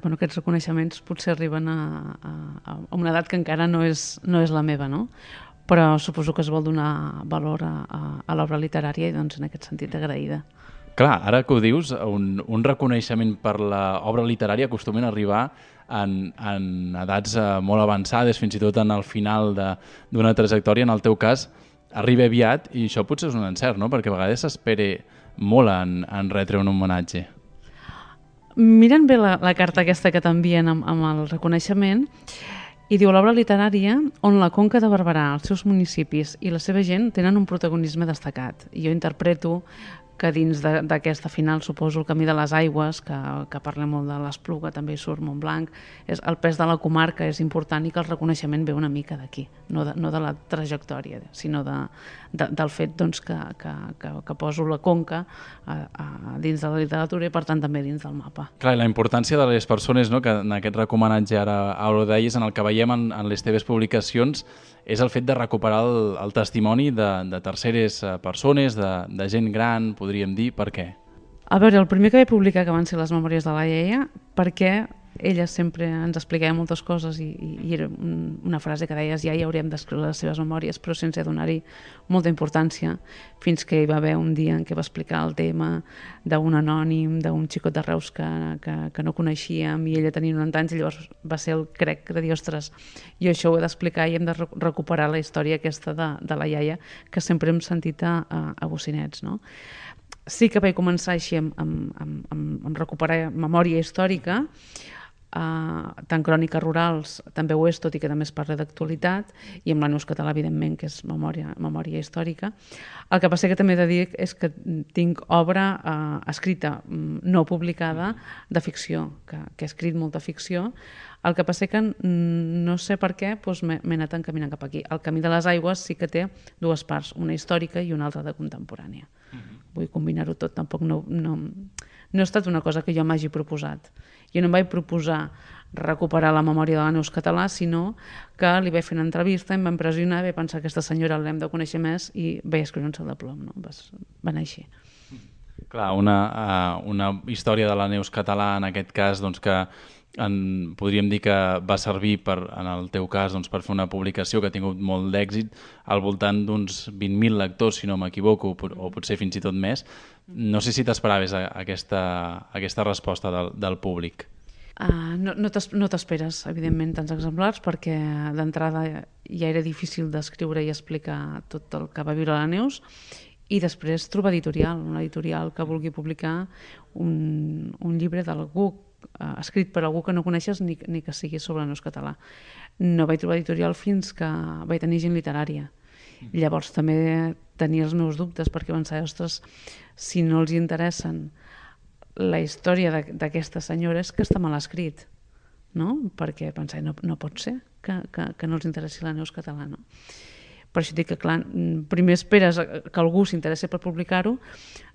bueno, aquests reconeixements potser arriben a, a, a una edat que encara no és, no és la meva, no? Però suposo que es vol donar valor a, a, a l'obra literària i doncs en aquest sentit agraïda.
Clar, ara que ho dius, un, un reconeixement per l'obra literària acostumen a arribar en, en edats molt avançades, fins i tot en el final d'una trajectòria. En el teu cas, arriba aviat i això potser és un encert, no? Perquè a vegades s'espera molt en, en retre un homenatge.
Mirant bé la, la carta aquesta que t'envien amb, amb el reconeixement, i diu l'obra literària on la Conca de Barberà, els seus municipis i la seva gent tenen un protagonisme destacat. I jo interpreto que dins d'aquesta final, suposo, El camí de les aigües, que, que parla molt de l'Espluga, també hi surt Montblanc, és, el pes de la comarca és important i que el reconeixement ve una mica d'aquí, no, de, no de la trajectòria, sinó de, de, del fet doncs, que, que, que, que poso la Conca a, a, dins de la literatura i per tant també dins del mapa.
Clar, i la importància de les persones, no?, que en aquest recomanatge ara ho deies, en el que veiem en, en les teves publicacions, és el fet de recuperar el, el testimoni de, de terceres persones, de, de gent gran, podríem dir. Per què?
A veure, el primer que vaig publicar que van ser les memòries de la iaia, perquè ella sempre ens explicava moltes coses i, i era una frase que deies ja hi hauríem d'escriure les seves memòries, però sense donar-hi molta importància, fins que hi va haver un dia en què va explicar el tema d'un anònim, d'un xicot de Reus que, que, que no coneixíem, i ella tenia noranta anys, i llavors va ser el crec de dir, ostres, jo això ho he d'explicar i hem de recuperar la història aquesta de, de la iaia, que sempre hem sentit a, a, a bocinets, no? Sí que vaig començar així amb, amb, amb, amb recuperar memòria històrica, Uh, tant cròniques rurals també ho és, tot i que també es parla d'actualitat, i amb la Neus Català, evidentment, que és memòria, memòria històrica. El que passa que també he de dir és que tinc obra uh, escrita, no publicada, de ficció, que, que he escrit molta ficció. El que passa que no sé per què doncs m'he anat encaminant cap aquí. El Camí de les Aigües sí que té dues parts, una històrica i una altra de contemporània. Uh-huh. Vull combinar-ho tot, tampoc no, no, no ha estat una cosa que jo m'hagi proposat. Jo no em vaig proposar recuperar la memòria de la Neus Català, sinó que li vaig fer una entrevista, em va impressionar, vaig pensar que aquesta senyora l'hem de conèixer més i vaig escriure un sol de plom, no? Va anar així.
Clar, una, uh, una història de la Neus Català, en aquest cas, doncs, que en, podríem dir que va servir, per, en el teu cas, doncs, per fer una publicació que ha tingut molt d'èxit, al voltant d'uns vint mil lectors, si no m'equivoco, o potser fins i tot més. No sé si t'esperaves aquesta, aquesta resposta del, del públic.
Uh, no no t'esperes, evidentment, tants exemplars, perquè d'entrada ja era difícil d'escriure i explicar tot el que va viure la Neus, i després trobar editorial, una editorial que vulgui publicar un, un llibre d'algú uh, escrit per algú que no coneixes ni, ni que sigui sobre la Neus Català. No vaig trobar editorial fins que vaig tenir Gent Literària. Llavors també tenia els meus dubtes, perquè pensava, ostres, si no els interessen la història d'aquesta senyora és que està mal escrit, no? Perquè pensava, no, no pot ser que, que, que no els interessi la Neus Català, no? Per això dic que, clar, primer esperes que algú s'interessi per publicar-ho,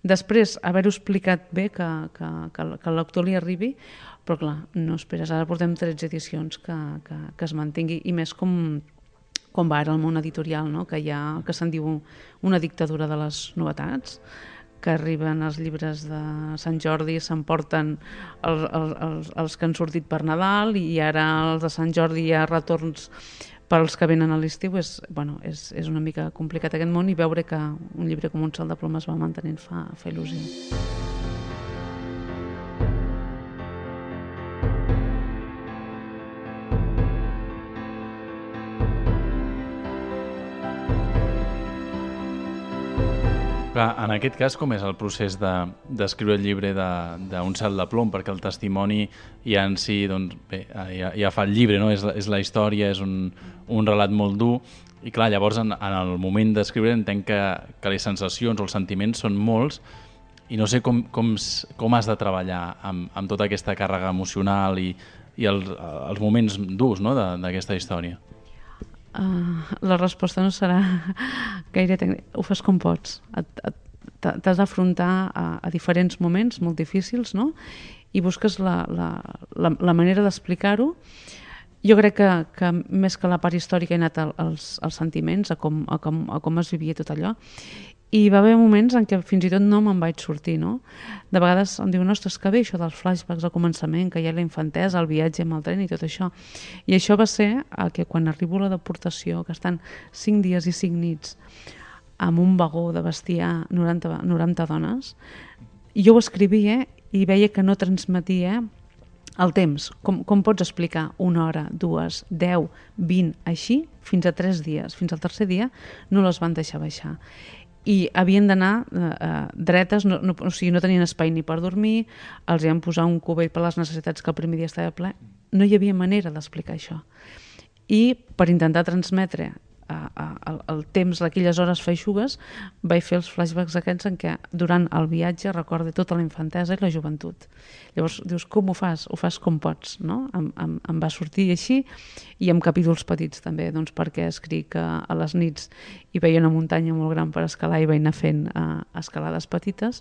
després haver-ho explicat bé, que, que, que, que el lector li arribi, però clar, no esperes. Ara portem tretze edicions que, que, que es mantingui, i més com, com va ara el món editorial, no? Que hi ha el que se'n diu una dictadura de les novetats, que arriben els llibres de Sant Jordi, s'emporten els, els, els que han sortit per Nadal, i ara els de Sant Jordi hi ha retorns per als que venen a l'estiu. És, bueno, és, és una mica complicat aquest món, i veure que un llibre com Un sol de plom es va mantenint fa, fa il·lusió.
Clar, en aquest cas, com és el procés d'escriure de, el llibre d'Un de, cel de plom? Perquè el testimoni ja en si, doncs, bé, ja, ja fa el llibre, no? És, és la història, és un, un relat molt dur, i clar, llavors en, en el moment d'escriure entenc que, que les sensacions o els sentiments són molts, i no sé com, com, com has de treballar amb, amb tota aquesta càrrega emocional i, i els, els moments durs, no?, d'aquesta història.
Uh, la resposta no serà gaire tècnica. Ho fas com pots. T'has d'afrontar a, a diferents moments molt difícils, no? I busques la, la, la, la manera d'explicar-ho. Jo crec que, que més que la part històrica he anat als, als sentiments, a com, a, com, a com es vivia tot allò. I va haver moments en què fins i tot no me'n vaig sortir, no? De vegades em diuen, ostres, que bé això dels flashbacks al començament, que hi ha la infantesa, el viatge amb el tren i tot això. I això va ser que quan arribo a la deportació, que estan cinc dies i cinc nits amb un vagó de bestiar noranta, noranta dones, jo ho escrivia i veia que no transmetia el temps. Com, com pots explicar una hora, dues, deu, vint, així, fins a tres dies. Fins al tercer dia no les van deixar baixar. I havien d'anar eh, dretes, no, no, o sigui, no tenien espai ni per dormir, els hi van posar un cubell per les necessitats que el primer dia estava ple. No hi havia manera d'explicar això. I per intentar transmetre eh, el, el temps d'aquelles hores feixugues, vaig fer els flashbacks aquests en què durant el viatge recordo tota la infantesa i la joventut. Llavors dius, com ho fas? Ho fas com pots, no? Em, em, em va sortir així, i amb capítols petits també, doncs perquè escric a, a les nits i veia una muntanya molt gran per escalar i vaig anar fent uh, escalades petites,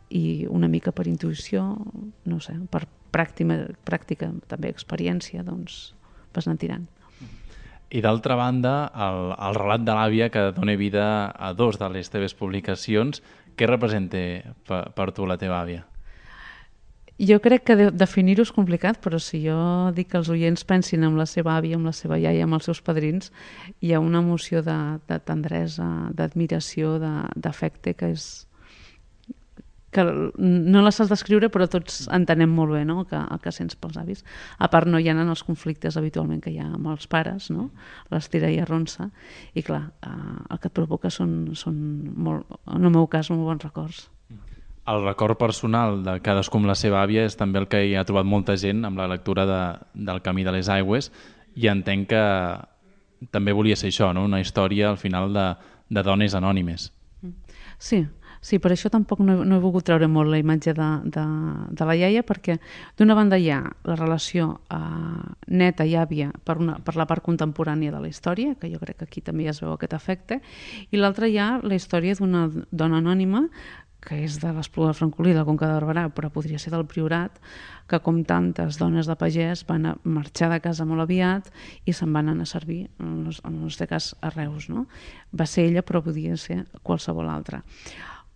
i una mica per intuïció, no sé, per pràctica, pràctica també experiència, doncs vas anar tirant.
I d'altra banda, el, el relat de l'àvia que dona vida a dos de les teves publicacions, què representa per, per tu la teva àvia?
Jo crec que de, definir-ho és complicat, però si jo dic que els oients pensin en la seva àvia, amb la seva iaia, amb els seus padrins, hi ha una emoció de, de tendresa, d'admiració, d'afecte, que és que no la saps descriure, però tots entenem molt bé, no?, el que, el que sents pels avis. A part, no hi ha els conflictes habitualment que hi ha amb els pares, no?, l'estira i arronsa, i clar, eh, el que et provoca són, són molt, en el meu cas, molt bons records.
El record personal de cadascú amb la seva àvia és també el que hi ha trobat molta gent amb la lectura de, del Camí de les Aigües, i entenc que també volia ser això, no?, una història al final de, de dones anònimes.
Sí, Sí, per això tampoc no he, no he volgut treure molt la imatge de, de, de la iaia, perquè d'una banda hi ha la relació eh, neta i àvia per, una, per la part contemporània de la història, que jo crec que aquí també ja es veu aquest efecte, i l'altra hi ha la història d'una dona anònima que és de l'Espluga de Francolí, de la Conca de Barberà, però podria ser del Priorat, que com tantes dones de pagès van a marxar de casa molt aviat i se'n van anar a servir, en el nostre cas a Reus, no? Va ser ella, però podia ser qualsevol altra.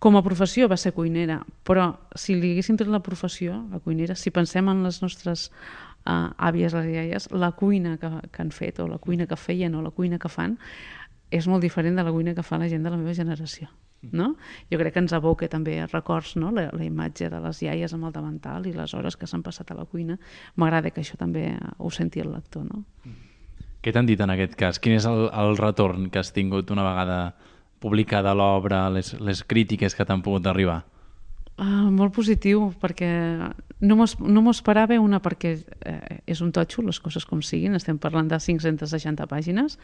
Com a professió va ser cuinera, però si li haguéssim tret la professió, la cuinera, si pensem en les nostres uh, àvies, les iaies, la cuina que, que han fet, o la cuina que feien, o la cuina que fan, és molt diferent de la cuina que fa la gent de la meva generació. No? Jo crec que ens evoca també records, no? la, la imatge de les iaies amb el davantal i les hores que s'han passat a la cuina. M'agrada que això també ho senti el lector. No?
Què t'han dit en aquest cas? Quin és el, el retorn que has tingut una vegada publicada l'obra, les, les crítiques que t'han pogut arribar?
Uh, molt positiu, perquè no m'ho esperava, una perquè eh, és un totxo, les coses com siguin, estem parlant de cinc-centes seixanta pàgines,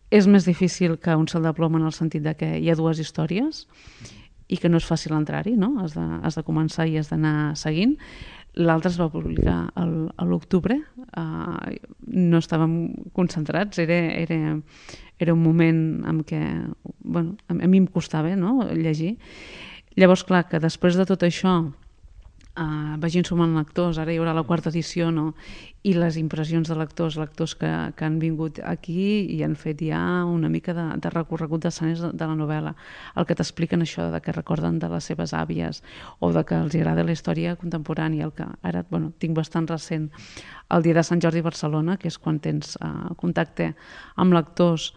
és més difícil que un salt de plom en el sentit de que hi ha dues històries i que no és fàcil entrar-hi, no? Has de, has de començar i has d'anar seguint. L'altre es va publicar a l'octubre, uh, no estàvem concentrats, era, era, era un moment en què bueno, a mi em costava, no?, llegir. Llavors, clar, que després de tot això uh, vagin sumant lectors, ara hi haurà la quarta edició, no?, i les impressions de lectors, lectors que, que han vingut aquí i han fet ja una mica de, de recorregut d'escenes de, de la novel·la, el que t'expliquen això, de que recorden de les seves àvies o de que els agrada la història contemporània, el que ara bueno, tinc bastant recent, el dia de Sant Jordi a Barcelona, que és quan tens uh, contacte amb lectors.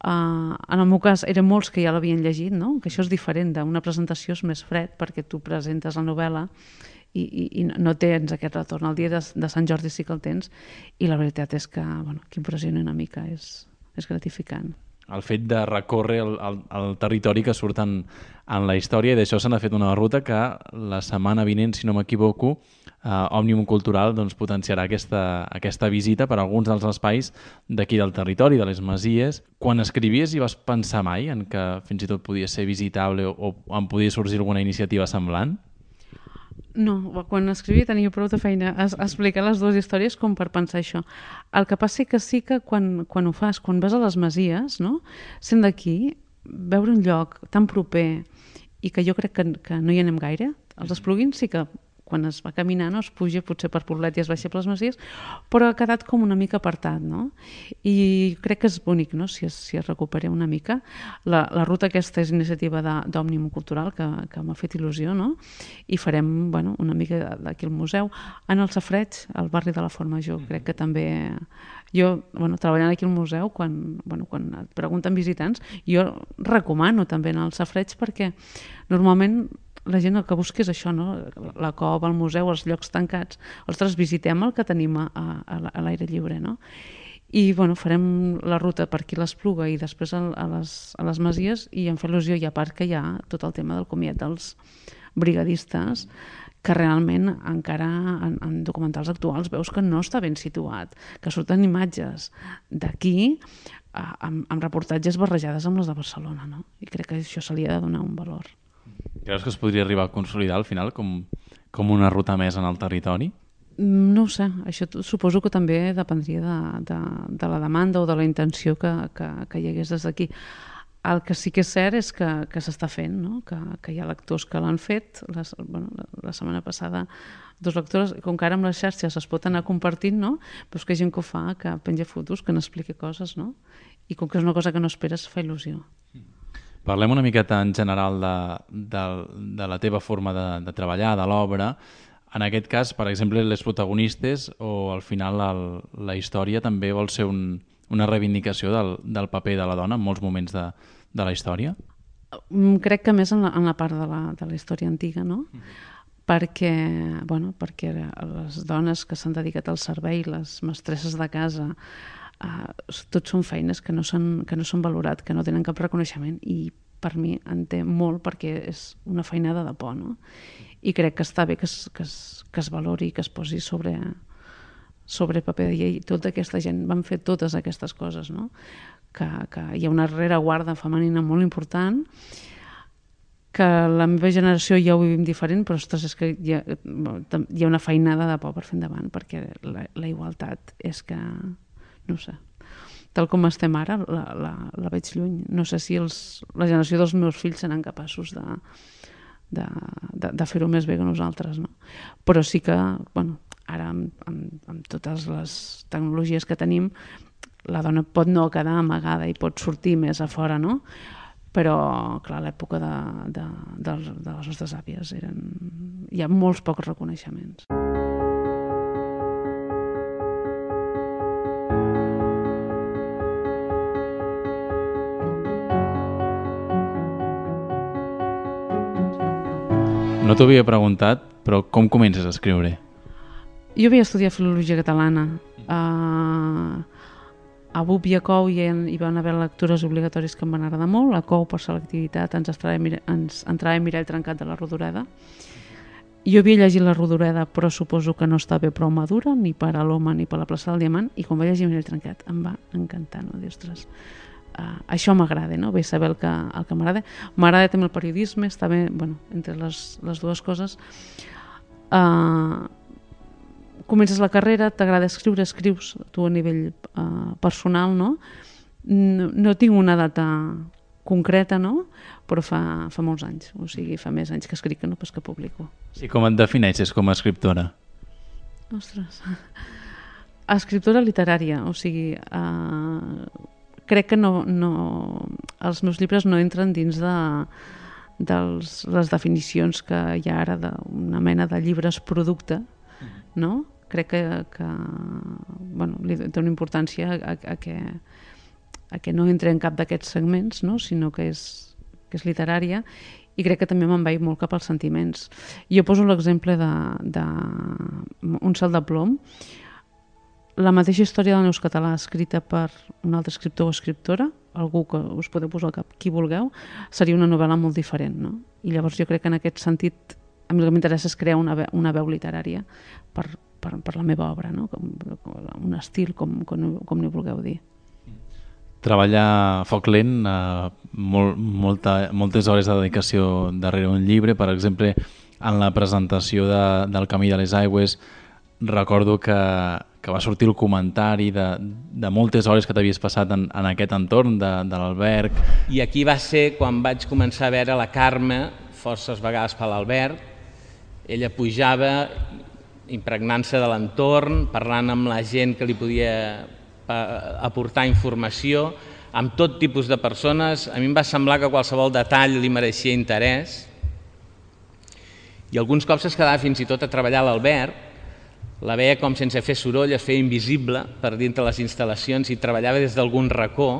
Uh, en el meu cas eren molts que ja l'havien llegit, no? Que això és diferent d'una presentació, és més fred perquè tu presentes la novel·la i, i, i no tens aquest retorn. El dia de, de Sant Jordi sí que el tens i la veritat és que, bueno, que impressiona una mica, és, és gratificant.
El fet de recórrer el, el, el territori que surt en, en la història, i d'això se n'ha fet una ruta que la setmana vinent, si no m'equivoco, eh, Òmnium Cultural doncs, potenciarà aquesta, aquesta visita per a alguns dels espais d'aquí del territori, de les Masies. Quan escrivies hi vas pensar mai en que fins i tot podia ser visitable o, o en podia sorgir alguna iniciativa semblant?
No, quan escrivia tenia prou de feina a, a explicar les dues històries com per pensar això. El que passa que sí que quan, quan ho fas, quan vas a les Masies, no? Sent d'aquí, veure un lloc tan proper i que jo crec que, que no hi anem gaire, els Esplugins sí que quan es va caminar no es puja potser per Poblet i es baixa per les Masies, però ha quedat com una mica apartat, no? I crec que és bonic, no?, si es, si es recupera una mica. La, la ruta aquesta és iniciativa d'Òmnium Cultural, que, que m'ha fet il·lusió, no? I farem, bueno, una mica d'aquí al museu. En el Safareig, al barri de la Font Major, crec que també... Jo, bueno, treballant aquí al museu, quan, bueno, quan et pregunten visitants, jo recomano també anar al Safareig perquè normalment la gent el que busca és això, no? La cova, el museu, els llocs tancats. Ostres, visitem el que tenim a, a, a l'aire lliure, no? I bueno, farem la ruta per aquí a l'Espluga i després a, a, les, a les Masies, i em fa il·lusió, i a part que hi ha tot el tema del comiat dels brigadistes, que realment encara en, en documentals actuals veus que no està ben situat, que surten imatges d'aquí amb, amb reportatges barrejades amb les de Barcelona, no? I crec que això se li ha de donar un valor.
Creus que es podria arribar a consolidar al final com, com una ruta més en el territori?
No ho sé, això suposo que també dependria de, de, de la demanda o de la intenció que, que, que hi hagués des d'aquí. el que sí que és cert és que, que s'està fent, no? que, que hi ha lectors que l'han fet. La, bueno, la, la setmana passada dos lectores, com que ara amb les xarxes es pot anar compartint, no? Però és que hi ha gent que ho fa, que penja fotos, que n'explica coses, no? I com que és una cosa que no esperes, fa il·lusió.
Parlem una miqueta en general de, de, de la teva forma de, de treballar, de l'obra. En aquest cas, per exemple, les protagonistes o al final el, la història també vol ser un, una reivindicació del, del paper de la dona en molts moments de, de la història?
Crec que més en la, en la part de la, de la història antiga, no? Mm-hmm. Perquè, bueno, perquè les dones que s'han dedicat al servei, les mestresses de casa, eh, tots són feines que no s'han que no s'han valorat, que no tenen cap reconeixement, i per mi en té molt perquè és una feinada de por, no? I crec que està bé que es, que es, que es valori, que es posi sobre, sobre paper de llei. Tota aquesta gent van fer totes aquestes coses, no? Que, que hi ha una rereguarda femenina molt important, que la meva generació ja ho vivim diferent, però ostres, és que hi ha, hi ha una feinada de por per fer endavant, perquè la, la igualtat és que, no sé, tal com estem ara, la, la, la veig lluny. No sé si els, la generació dels meus fills seran capaços de, de, de, de fer-ho més bé que nosaltres, no? Però sí que, bueno, ara amb, amb, amb totes les tecnologies que tenim, la dona pot no quedar amagada i pot sortir més a fora, no? Però, clar, a l'època de, de, de, de les nostres àvies eren... hi ha molts pocs reconeixements.
No t'ho havia preguntat, però com comences a escriure?
Jo havia estudiat filologia catalana. Uh, a B U P i a C O U hi, hi van haver lectures obligatòries que em van agradar molt. A C O U, per selectivitat, ens entrava, ens entrava Mirall Trencat de la Rodoreda. Jo havia llegit la Rodoreda, però suposo que no està bé prou madura, ni per a l'Home ni per la plaça del Diamant, i quan vaig llegir Mirall Trencat em va encantar, no? Dir, ostres, uh, això m'agrada, no? Bé saber el que, el que m'agrada. M'agrada també el periodisme, està bé, bueno, entre les, les dues coses. Uh, comences la carrera, t'agrada escriure, escrius tu a nivell uh, personal, no? no? No tinc una data concreta, no? Però fa, fa molts anys, o sigui, fa més anys que escric que no pas que publico.
Sí, com et defineixes com a escriptora?
Ostres, escriptora literària, o sigui, uh, crec que no, no, els meus llibres no entren dins de dels, les definicions que hi ha ara d'una mena de llibres producte, no? Crec que, que bueno, li té una importància a, a, que, a que no entri en cap d'aquests segments, no? Sinó que és, que és literària, i crec que també m'envaï molt cap als sentiments. Jo poso l'exemple de, de Un cel de plom, la mateixa història del Neus Català escrita per un altre escriptor o escriptora, algú que us podeu posar al cap, qui vulgueu, seria una novel·la molt diferent, no? I llavors jo crec que en aquest sentit a mi el que m'interessa és crear una veu, una veu literària per, per, per la meva obra, no? Com, un estil, com, com, com n'hi vulgueu dir.
Treballar a foc lent, eh, molt, molta, moltes hores de dedicació darrere un llibre. Per exemple, en la presentació de, del Camí de les Aigües, recordo que, que va sortir el comentari de, de moltes hores que t'havies passat en, en aquest entorn de, de l'alberg.
I aquí va ser quan vaig començar a veure la Carme, forces vegades per l'Albert. Ella pujava impregnant-se de l'entorn, parlant amb la gent que li podia aportar informació, amb tot tipus de persones. A mi em va semblar que qualsevol detall li mereixia interès. I alguns cops es quedava fins i tot a treballar a l'Albert, la veia com sense fer soroll es feia invisible per dintre les instal·lacions i treballava des d'algun racó,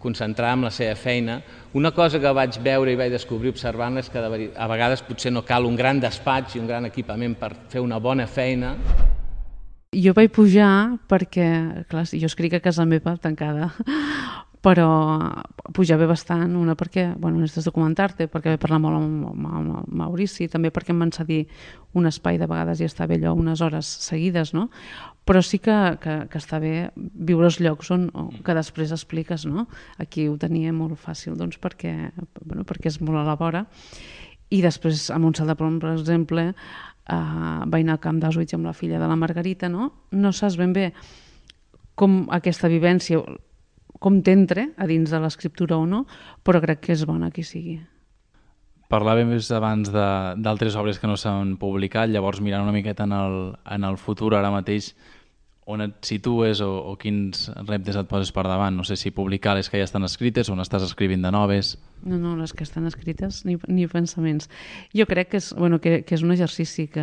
concentrada en la seva feina. Una cosa que vaig veure i vaig descobrir observant és que a vegades potser no cal un gran despatx i un gran equipament per fer una bona feina.
Jo vaig pujar perquè, clar, jo escric a casa meva tancada, però pujar bé bastant, una perquè, bueno, necessites documentar-te, perquè vaig parlar molt amb, amb, amb Maurici, també perquè em van cedir un espai de vegades i està bé allò unes hores seguides, no? Però sí que, que, que està bé viure els llocs on, que després expliques, no? Aquí ho tenia molt fàcil, doncs, perquè, bueno, perquè és molt a la vora. I després, a Montsalt de Plom, per exemple, Uh, vaig anar al camp d'Auschwitz amb la filla de la Margarita, no? No saps ben bé com aquesta vivència com t'entre a dins de l'escriptura o no, però crec que és bona que hi sigui.
Parlàvem més abans d'altres obres que no s'han publicat, llavors mirant una miqueta en el, en el futur ara mateix, on et situes o, o quins reptes et poses per davant? No sé si publicar les que ja estan escrites o n'estàs escrivint de noves.
No, no, les que estan escrites ni, ni pensaments. Jo crec que és, bueno, que, que és un exercici que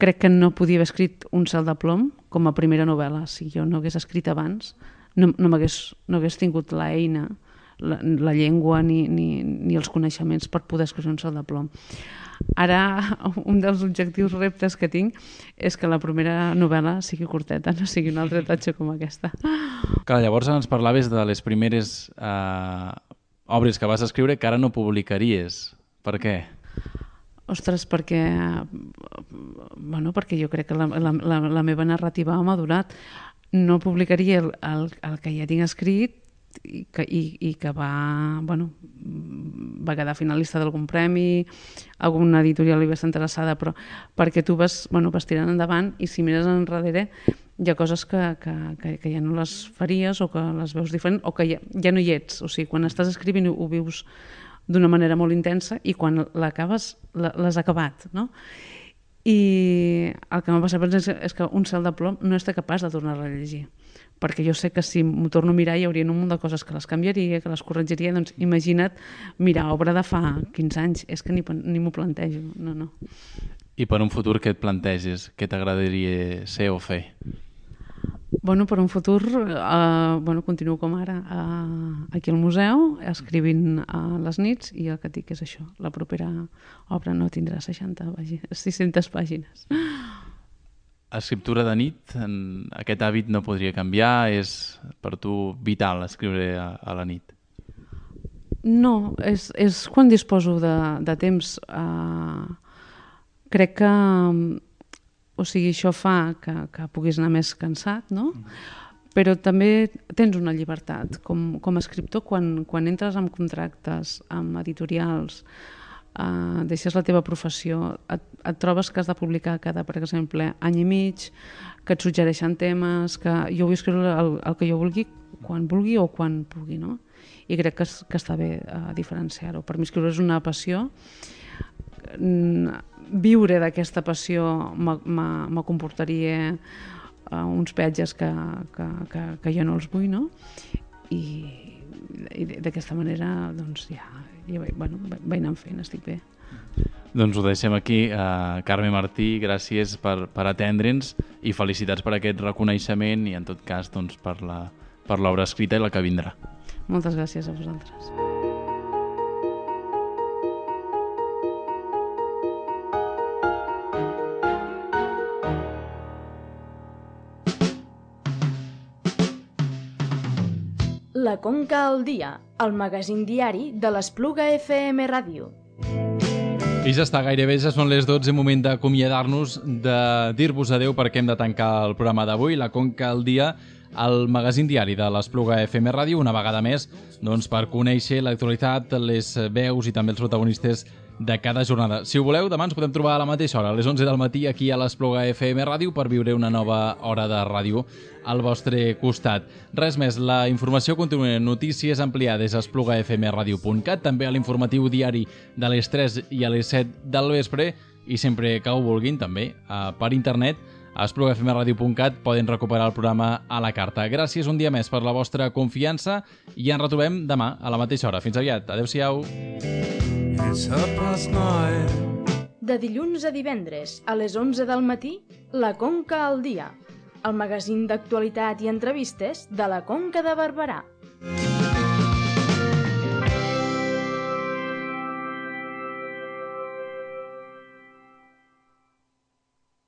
crec que no podia haver escrit Un cel de plom com a primera novel·la. Si jo no hagués escrit abans, no, no m'hagués no hagués tingut l'eina, la, la llengua ni, ni, ni els coneixements per poder escriure Un cel de plom. Ara, un dels objectius reptes que tinc és que la primera novel·la sigui curteta, no sigui una altra tatxa com aquesta.
Clar, llavors ens parlaves de les primeres eh, obres que vas escriure que ara no publicaries. Per què?
Ostres, perquè, bueno, perquè jo crec que la, la, la, la meva narrativa ha madurat. No publicaria el, el, el que ja tinc escrit i que, i, i que va, bueno, va quedar finalista d'algun premi, alguna editorial hi va estar interessada, però perquè tu vas, bueno, vas tirant endavant i si mires enrere hi ha coses que, que, que, que ja no les faries o que les veus diferent o que ja, ja no hi ets. O sigui, quan estàs escrivint ho vius d'una manera molt intensa i quan l'acabes l'has acabat, no? I el que m'ha passat és que Un cel de plom no està capaç de tornar a llegir, perquè jo sé que si m'ho torno a mirar hi hauria un munt de coses que les canviaria, que les corregiria, doncs imagina't mirar obra de fa quinze anys, és que ni, ni m'ho plantejo, no, no.
I per un futur què et planteges? Què t'agradaria ser o fer?
Bueno, per un futur, eh, bueno, continuo com ara eh, aquí al museu, escrivint a les nits, i el que dic és això, la propera obra no tindrà seixanta pàgines, sis-centes pàgines.
Escriptura de nit, aquest hàbit no podria canviar, és per tu vital escriure a, a la nit?
No, és, és quan disposo de, de temps. Eh, crec que, o sigui, això fa que, que puguis anar més cansat, no? Però també tens una llibertat. Com, com a escriptor, quan, quan entres en contractes amb editorials, Uh, deixes la teva professió, et, et trobes que has de publicar cada, per exemple, any i mig, que et suggereixen temes, que jo vull escriure el, el que jo vulgui, quan vulgui o quan pugui, no? I crec que, que està bé uh, diferenciar-ho. Per mi escriure és una passió. Viure d'aquesta passió me comportaria uh, uns peatges que, que, que, que jo no els vull, no? I, i d'aquesta manera, doncs, ja, ja bueno, vaig anar fent, estic bé.
Doncs ho deixem aquí. Uh, Carme Martí, gràcies per, per atendre'ns i felicitats per aquest reconeixement i, en tot cas, doncs, per la, per l'obra escrita i la que vindrà.
Moltes gràcies a vosaltres.
La Conca al dia, el magazín diari de l'Espluga F M Ràdio.
I ja està, gairebé ja són les dotze, moment d'acomiadar-nos, de dir-vos adeu perquè hem de tancar el programa d'avui, La Conca al dia, el magazín diari de l'Espluga F M Ràdio, una vegada més, doncs, per conèixer l'actualitat, les veus i també els protagonistes de cada jornada. Si ho voleu, demà ens podem trobar a la mateixa hora, a les onze del matí, aquí a l'Espluga F M Ràdio, per viure una nova hora de ràdio al vostre costat. Res més, la informació continua en notícies ampliades a espluga f m radio punt cat, també a l'informatiu diari de les tres i a les set del vespre, i sempre que ho vulguin, també, per internet, a espluga f m radio punt cat poden recuperar el programa a la carta. Gràcies un dia més per la vostra confiança i ens retrobem demà a la mateixa hora. Fins aviat. Adéu-siau.
De dilluns a divendres, a les onze del matí, La Conca al dia, el magazín d'actualitat i entrevistes de la Conca de Barberà.